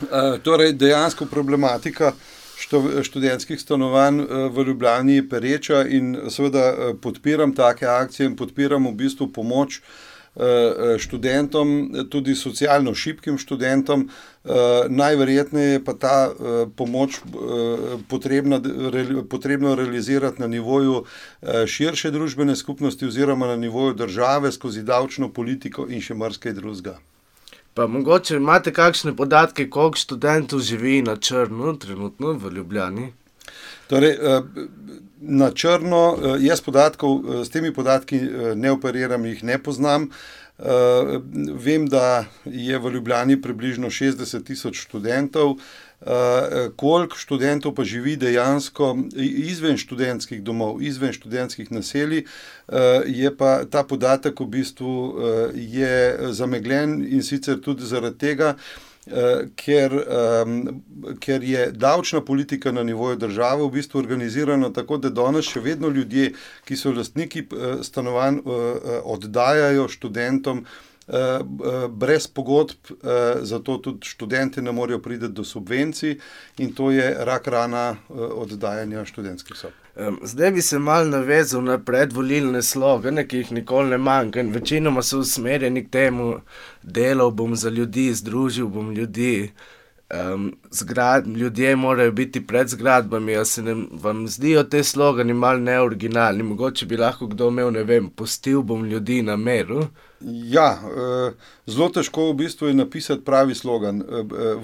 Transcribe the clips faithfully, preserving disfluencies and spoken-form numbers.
Uh, torej, dejansko problematika študentskih stanovanj v Ljubljani je pereča in seveda podpiram take akcije in podpiram v bistvu pomoč študentom, tudi socialno šibkim študentom. Najverjetneje je pa ta pomoč potrebna, potrebno realizirati na nivoju širše družbene skupnosti oziroma na nivoju države skozi davčno politiko in še marsikaj drugega. Pa mogoče imate kakšne podatke, koliko študentov živi na črno trenutno v Ljubljani? Torej, na črno, jaz podatkov, s temi podatki ne operiram, jih ne poznam. Vem, da je v Ljubljani približno šestdeset tisoč študentov. Koliko študentov pa živi dejansko izven študentskih domov, izven študentskih naselij, je pa ta podatek v bistvu je zamegljen in sicer tudi zaradi tega, ker, ker je davčna politika na nivoju države v bistvu organizirana tako, da danes še vedno ljudje, ki so lastniki stanovanj, oddajajo študentom brez pogodb, zato tudi študenti ne morejo priti do subvencij in to je rak rana oddajanja študentskih sob. Zdaj bi se malo navezal na predvolilne slogane, ki jih nikoli ne manjka in večinoma so usmerjeni k temu, delal bom za ljudi, združil bom ljudi, um, zgrad, ljudje morajo biti pred zgradbami, a se ne, vam zdijo te slogani malo neoriginalni, mogoče bi lahko kdo imel, ne vem, pustil bom ljudi na miru. Ja, zelo težko v bistvu je napisati pravi slogan.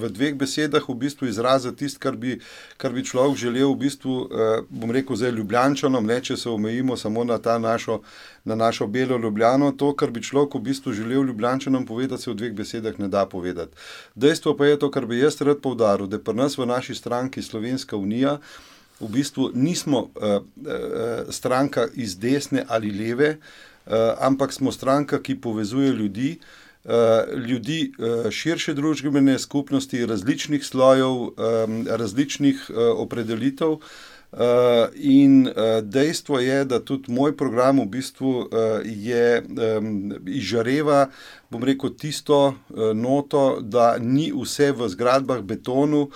V dveh besedah v bistvu izraziti tisto, kar bi, kar bi človek želel v bistvu, bom rekel zdaj Ljubljančanom, ne, če se omejimo samo na ta našo, na našo belo Ljubljano, to, kar bi človek v bistvu želel Ljubljančanom povedati, se v dveh besedah ne da povedati. Dejstvo pa je to, kar bi jaz rad poudaril, da pri nas v naši stranki Slovenska unija v bistvu nismo uh, uh, stranka iz desne ali leve, Uh, ampak smo stranka, ki povezuje ljudi, uh, ljudi uh, širše družbene skupnosti, različnih slojev, um, različnih uh, opredelitev uh, in uh, dejstvo je, da tudi moj program v bistvu uh, je um, izžareva, bom rekel, tisto uh, noto, da ni vse v zgradbah betonu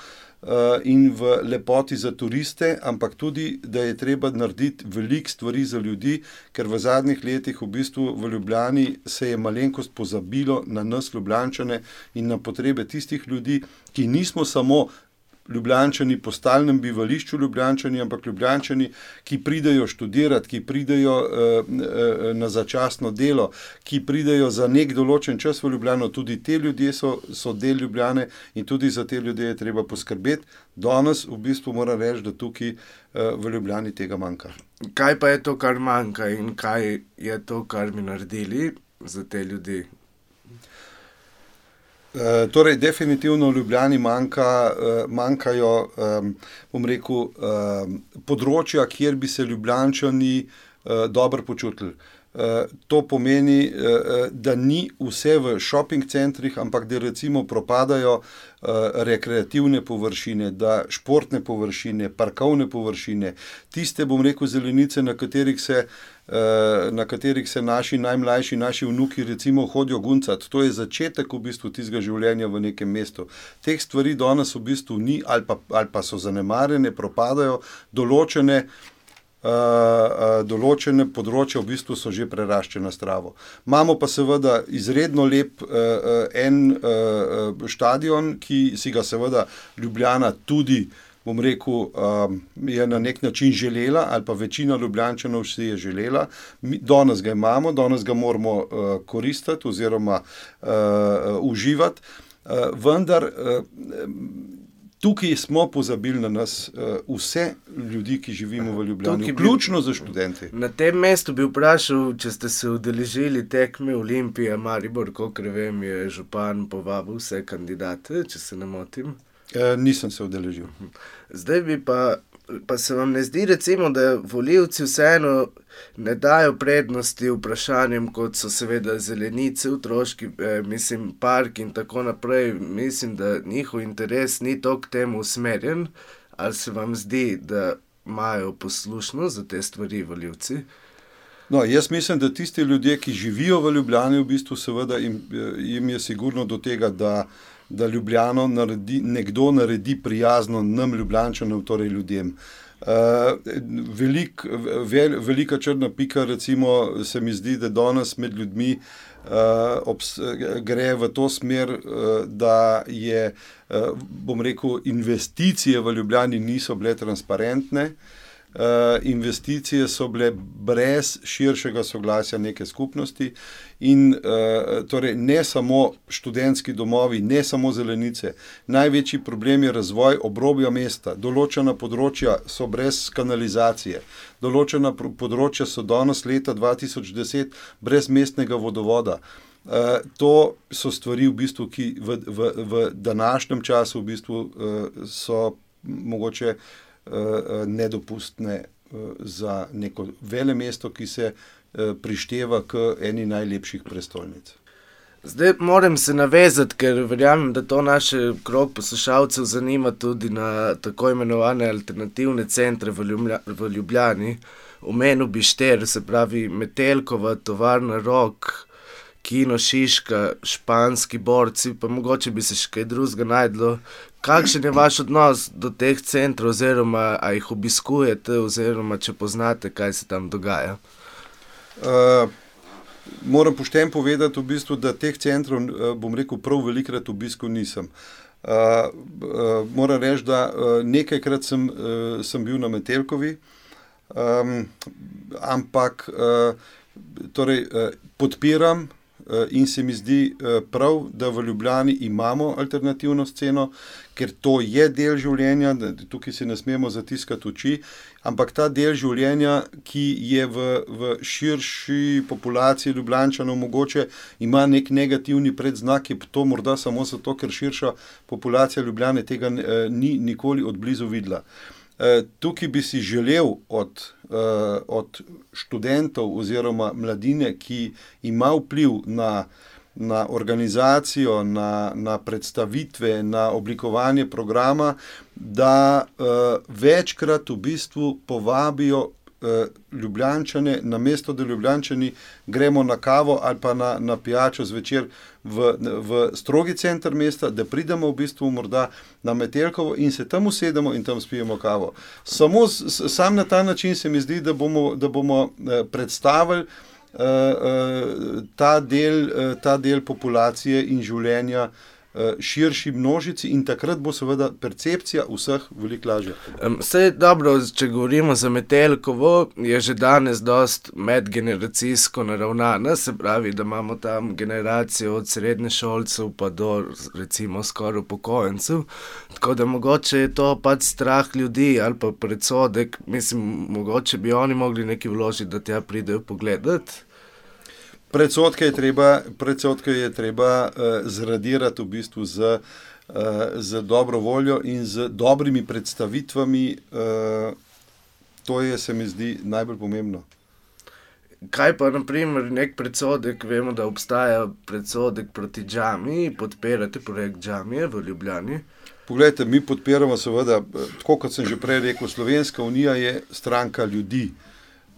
in v lepoti za turiste, ampak tudi, da je treba narediti veliko stvari za ljudi, ker v zadnjih letih v bistvu v Ljubljani se je malenkost pozabilo na nas Ljubljančane in na potrebe tistih ljudi, ki nismo samo Ljubljančani po stalnem bivališču Ljubljančani, ampak Ljubljančani, ki pridejo študirati, ki pridejo uh, uh, na začasno delo, ki pridejo za nek določen čas v Ljubljano, tudi te ljudje so, so del Ljubljane in tudi za te ljudje je treba poskrbeti. Danes v bistvu moram reči, da tukaj uh, v Ljubljani tega manjka. Kaj pa je to, kar manjka in kaj je to, kar bi naredili za te ljudi? Uh, torej, definitivno v Ljubljani manjka, uh, manjkajo, um, bom rekel, um, področja, kjer bi se Ljubljančani uh, dobro počutili. Uh, to pomeni, uh, da ni vse v shopping centrih, ampak da recimo propadajo uh, rekreativne površine, da športne površine, parkovne površine, tiste, bom rekel, zelenice, na katerih se na katerih se naši najmlajši, naši vnuki recimo hodijo guncati. To je začetek v bistvu tistega življenja v nekem mestu. Teh stvari danes v bistvu ni ali pa, ali pa so zanemarjene, propadajo, določene, uh, uh, določene področja v bistvu so že preraščena s travo. Imamo pa seveda izredno lep uh, en uh, štadion, ki si ga seveda Ljubljana tudi, bom rekel, je na nek način želela, ali pa večina Ljubljančanov si je želela. Mi, danes ga imamo, danes ga moramo uh, koristiti oziroma uh, uživati, uh, vendar uh, tukaj smo pozabili na nas uh, vse ljudi, ki živimo v Ljubljani, vključno za študenti. Na tem mestu bi vprašal, če ste se udeležili tekme Olimpija, Maribor, kolikor vem, je župan povabil vse kandidate, če se ne motim. E, nisem se udeležil. Zdaj bi pa, pa se vam ne zdi recimo, da volivci vseeno ne dajo prednosti vprašanjem, kot so seveda zelenice, otroški, eh, mislim, park in tako naprej. Mislim, da njihov interes ni toliko temu usmerjen, ali se vam zdi, da imajo poslušnost za te stvari volivci? No, jaz mislim, da tisti ljudje, ki živijo v Ljubljani, v bistvu seveda jim, jim je sigurno do tega, da da Ljubljano naredi, nekdo naredi prijazno nam Ljubljančanom, torej ljudem. Uh, velik, vel, velika črna pika, recimo, se mi zdi, da danes med ljudmi uh, obs, gre v to smer, uh, da je, uh, bom rekel, investicije v Ljubljani niso bile transparentne. Uh, investicije so bile brez širšega soglasja neke skupnosti in uh, torej ne samo študentski domovi, ne samo zelenice. Največji problem je razvoj obrobja mesta. Določena področja so brez kanalizacije, določena področja so danes leta dva tisoč deset brez mestnega vodovoda. Uh, to so stvari, v bistvu, ki v, v, v današnjem času v bistvu, uh, so mogoče nedopustne za neko velemesto, ki se prišteva k eni najlepših prestolnic. Zdaj moram se navezati, ker verjamem, da to naše krog poslušalcev zanima tudi na tako imenovane alternativne centre v, Ljublja, v Ljubljani. Omenil bi štiri, se pravi Metelkova, Tovarna Rok, Kino Šiška, Španski borci, pa mogoče bi se še kaj drugega najdlo. Kakšen je vaš odnos do teh centrov, oziroma a jih obiskujete, oziroma če poznate, kaj se tam dogaja? Uh, moram pošteno povedati, v bistvu, da teh centrov, bom rekel, prav velikrat obiskal nisem. Uh, uh, moram reči, da uh, nekajkrat sem, uh, sem bil na Metelkovi, um, ampak uh, torej, uh, podpiram in se mi zdi prav, da v Ljubljani imamo alternativno sceno, ker to je del življenja, tukaj se ne smemo zatiskati oči, ampak ta del življenja, ki je v, v širši populaciji Ljubljančanov mogoče ima nek negativni predznak, je to morda samo zato, ker širša populacija Ljubljane tega ni nikoli od blizu videla. Tukaj bi si želel od, od študentov oziroma mladine, ki ima vpliv na, na organizacijo, na, na predstavitve, na oblikovanje programa, da večkrat v bistvu povabijo Ljubljančane, namesto da Ljubljančani gremo na kavo ali pa na, na pijačo zvečer v, v strogi center mesta, da pridemo v bistvu morda na Metelkovo in se tam usedemo in tam spijemo kavo. Samo sam na ta način se mi zdi, da bomo, da bomo predstavili uh, uh, ta, del, uh, ta del populacije in življenja širši množici in takrat bo seveda percepcija vseh veliko lažja. Saj dobro, če govorimo za Metelkovo, je že danes dost medgeneracijsko naravnana, se pravi, da imamo tam generacijo od srednješolcev pa do recimo skoraj upokojencev, tako da mogoče je to pač strah ljudi ali pa predsodek, mislim, mogoče bi oni mogli nekaj vložiti, da tja pridejo pogledati. Predsodke je treba, predsodke je treba uh, zradirati v bistvu z, uh, z dobro voljo in z dobrimi predstavitvami. Uh, to je, se mi zdi, najbolj pomembno. Kaj pa, na primer, nek predsodek, vemo, da obstaja predsodek proti džamiji, podpirate projekt džamije v Ljubljani? Poglejte, mi podpiramo seveda, tako kot sem že prej rekel, Slovenska unija je stranka ljudi,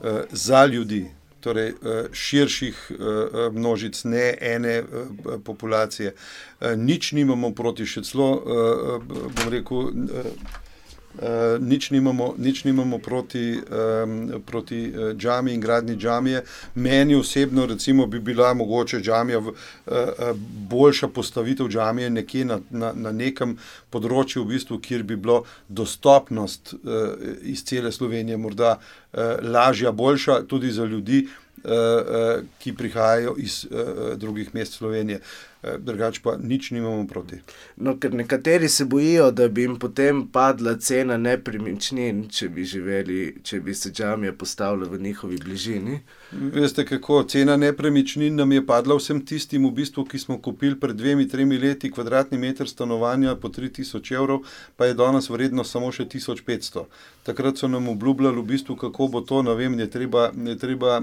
uh, za ljudi. Torej širših množic, ne ene populacije. Nič nimamo proti, še celo, bom rekel, nič nimamo, nič nimamo proti, proti džamiji in gradnji džamije. Meni osebno recimo bi bila mogoče džamija, boljša postavitev džamije nekje na, na, na nekem področju, v bistvu, kjer bi bilo dostopnost iz cele Slovenije morda lažja, boljša tudi za ljudi, ki prihajajo iz drugih mest Slovenije. Drugače pa nič nimamo proti. No, ker nekateri se bojijo, da bi jim potem padla cena nepremičnin, če bi živeli, če bi se džamija postavila v njihovi bližini. Veste kako, cena nepremičnin nam je padla vsem tistim v bistvu, ki smo kupili pred dvemi, tremi leti kvadratni meter stanovanja po tri tisoč evrov, pa je danes vredno samo še tisoč petsto. Takrat so nam obljubljali v bistvu, kako bo to, ne vem, je treba, je treba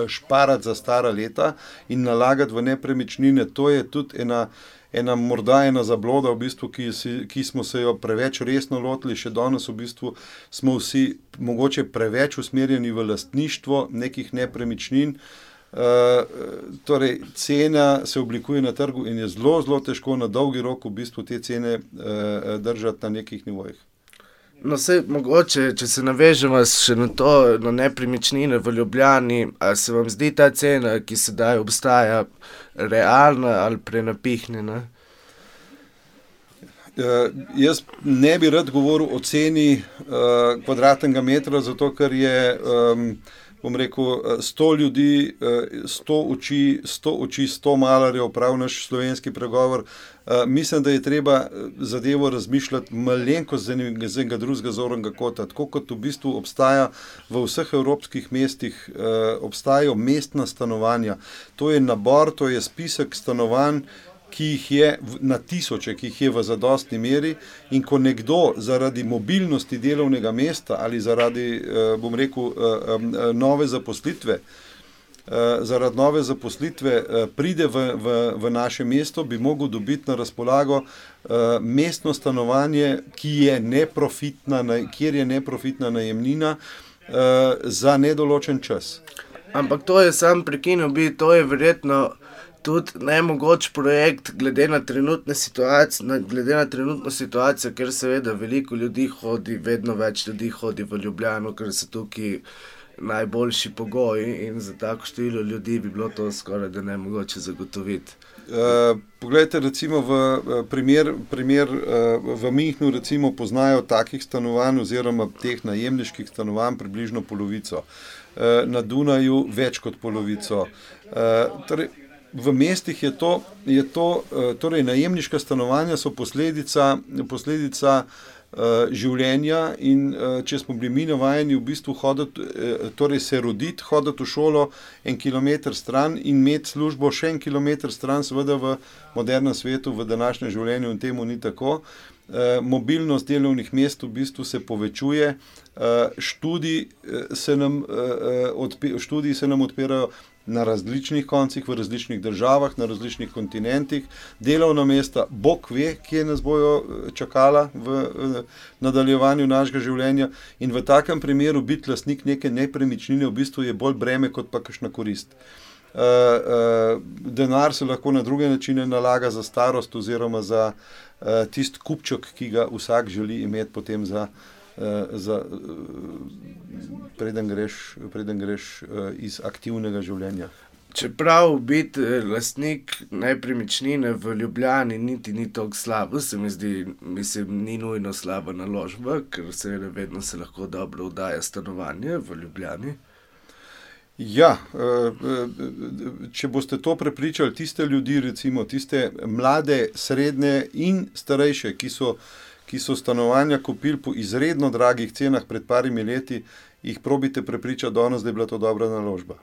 šparati za stara leta in nalagati v nepremičnine. To je tudi ena, ena morda ena zabloda, v bistvu, ki, si, ki smo se jo preveč resno lotili. Še danes v bistvu smo vsi mogoče preveč usmerjeni v lastništvo nekih nepremičnin. Uh, torej, cena se oblikuje na trgu in je zelo, zelo težko na dolgi rok v bistvu te cene uh, držati na nekih nivojih. No, sej, mogoče, če se navežemo še na to, na nepremičnine v Ljubljani, a se vam zdi ta cena, ki sedaj obstaja, realna ali prenapihnjena? Uh, jaz ne bi rad govoril o ceni uh, kvadratnega metra, zato ker je, um, bom rekel, sto ljudi, uh, sto oči, sto oči, sto malarjev, prav naš slovenski pregovor. Uh, mislim, da je treba zadevo razmišljati malenkost z enega, z enega drugega zornega kota, tako kot v bistvu obstaja v vseh evropskih mestih, uh, obstajajo mestna stanovanja. To je nabor, to je spisek stanovanj, ki jih je na tisoče, ki jih je v zadostni meri, in ko nekdo zaradi mobilnosti delovnega mesta ali zaradi, bom rekel, nove zaposlitve, zaradi nove zaposlitve pride v, v, v naše mesto, bi mogel dobiti na razpolago mestno stanovanje, ki je neprofitna, kjer je neprofitna najemnina za nedoločen čas. Ampak to je sam prekinil bi, to je verjetno tudi nemogoč projekt glede na trenutne situacije, glede na trenutno situacijo, ker seveda veliko ljudi hodi, vedno več ljudi hodi v Ljubljano, ker so tukaj najboljši pogoji in za tako število ljudi bi bilo to skoraj da nemogoče zagotoviti. Uh, poglejte, recimo v primer, primer uh, v Münchnu recimo poznajo takih stanovanj oziroma teh najemniških stanovanj približno polovico. Uh, na Dunaju več kot polovico. Uh, torej, v mestih je to, je to uh, torej najemniška stanovanja so posledica, posledica uh, življenja in uh, če smo bili mi navajeni v bistvu hoditi, uh, torej se roditi, hoditi v šolo en kilometer stran in imeti službo še en kilometer stran, seveda v modernem svetu, v današnjem življenju in temu ni tako. Uh, mobilnost delovnih mest v bistvu se povečuje, uh, študij, uh, se nam, uh, odpi, študiji se nam odpirajo na različnih koncih, v različnih državah, na različnih kontinentih, delovna mesta, Bog ve, kje nas bojo čakala v, v nadaljevanju našega življenja, in v takem primeru biti lastnik neke nepremičnine v bistvu je bolj breme kot pa kakšna korist. Uh, uh, denar se lahko na druge načine nalaga za starost oziroma za uh, tist kupček, ki ga vsak želi imeti potem za, uh, za uh, preden greš, preden greš uh, iz aktivnega življenja. Čeprav biti lastnik nepremičnine v Ljubljani niti ni toliko slabo, se mi zdi, mislim, ni nujno slaba naložba, ker seveda vedno se lahko dobro oddaja stanovanje v Ljubljani. Ja, če boste to prepričali tiste ljudi, recimo tiste mlade, srednje in starejše, ki so, ki so stanovanja kupili po izredno dragih cenah pred parimi leti, jih probite prepričati danes, da je bila to dobra naložba.